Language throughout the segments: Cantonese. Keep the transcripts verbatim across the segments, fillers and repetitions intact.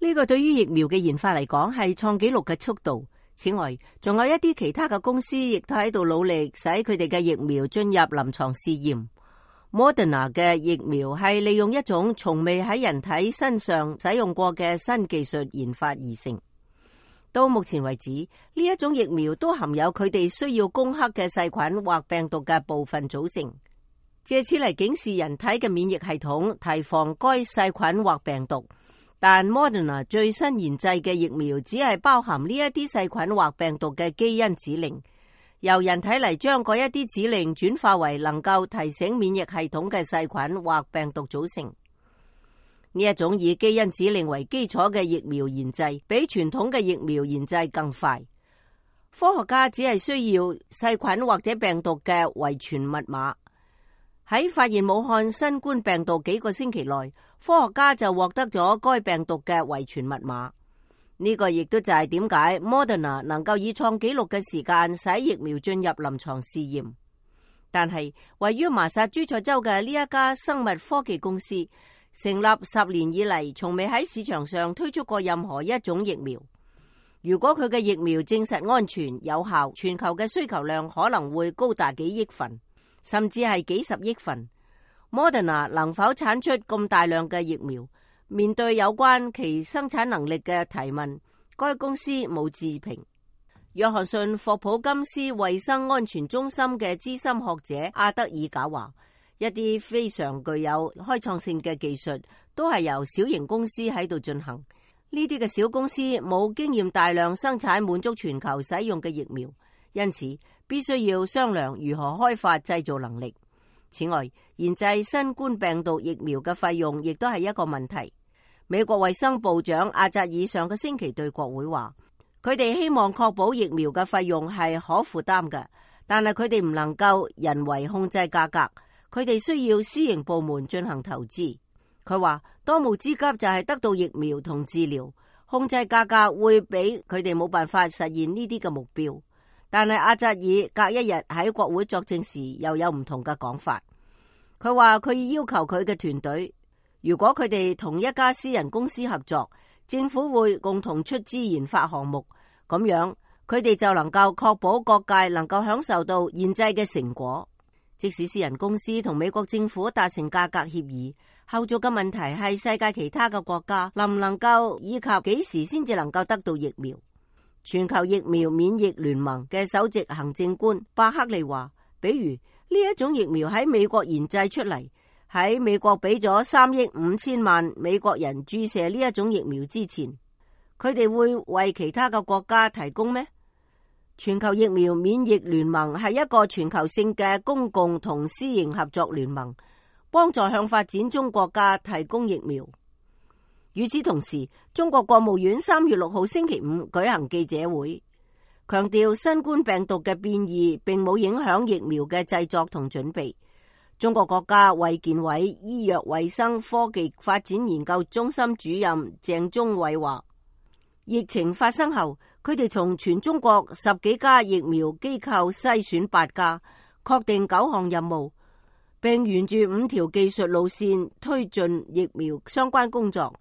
呢個對於疫苗嘅研發嚟講係創紀錄嘅速度。此外，仲有一啲其他嘅公司亦都喺度努力使佢哋嘅疫苗進入臨床試驗。Moderna 嘅疫苗係利用一種從未喺人體身上使用過嘅新技術研發而成。到目前為止，呢一種疫苗都含有佢哋需要攻克嘅細菌或病毒嘅部分組成，借此嚟警示人體嘅免疫系統，提防該細菌或病毒。但 Moderna 最新研製嘅疫苗只係包含呢一啲細菌或病毒嘅基因指令，由人體嚟將嗰一啲指令轉化為能夠提醒免疫系統嘅細菌或病毒組成。呢一種以基因指令為基礎嘅疫苗研製，比傳統嘅疫苗研製更快。科學家只係需要細菌或者病毒嘅遺傳密碼。喺發現武漢新冠病毒幾個星期內，科學家就獲得咗該病毒嘅遺傳密碼。呢個亦都就係點解 Moderna 能夠以創紀錄嘅時間使疫苗進入臨床試驗。但係位於麻薩諸塞州嘅呢一家生物科技公司成立十年以嚟，從未喺市場上推出過任何一種疫苗。如果佢嘅疫苗證實安全有效，全球嘅需求量可能會高達幾億份，甚至係幾十億份。Moderna 能否產出咁大量嘅疫苗？面對有關其生產能力嘅提問，該公司冇置評。約翰遜霍普金斯衛生安全中心嘅資深學者阿德爾賈話，一啲非常具有開創性嘅技術都係由小型公司喺度進行。呢啲嘅小公司冇經驗大量生產滿足全球使用嘅疫苗，因此必須要商量如何開發製造能力。此外，研製新冠病毒疫苗嘅費用亦都係一個問題。美國衛生部長阿扎爾上個星期對國會話，佢哋希望確保疫苗嘅費用係可負擔嘅，但係佢哋唔能夠人為控制價格，佢哋需要私營部門進行投資。佢話當務之急就係得到疫苗同治療，控制價格會俾佢哋冇辦法實現呢啲嘅目標。但係阿扎爾隔一日喺國會作證時又有唔同嘅講法。佢話佢要求佢嘅團隊，如果佢哋同一家私人公司合作，政府會共同出資研發項目，咁樣佢哋就能夠確保各界能夠享受到研製嘅成果。即使私人公司同美國政府達成價格協議，後續嘅問題係世界其他嘅國家能唔能夠以及幾時先至能夠得到疫苗。全球疫苗免疫聯盟嘅首席行政官巴克利話，比如呢一種疫苗喺美國研製出嚟，喺美國俾咗三億五千萬美國人注射呢一種疫苗之前，佢哋會為其他嘅國家提供咩？全球疫苗免疫聯盟係一個全球性嘅公共同私營合作聯盟，幫助向發展中國家提供疫苗。與此同時，中國國務院三月六號星期五舉行記者會，強調新冠病毒嘅變異並冇影響疫苗嘅製作同準備。中國國家衛健委醫藥衛生科技發展研究中心主任鄭忠偉話，疫情發生後，佢哋從全中國十幾家疫苗機構篩選八家，確定九項任務，並沿住五條技術路線推進疫苗相關工作。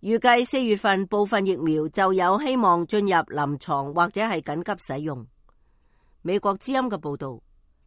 預計四月份部分疫苗就有希望進入臨床或者係緊急使用。美國之音嘅報道。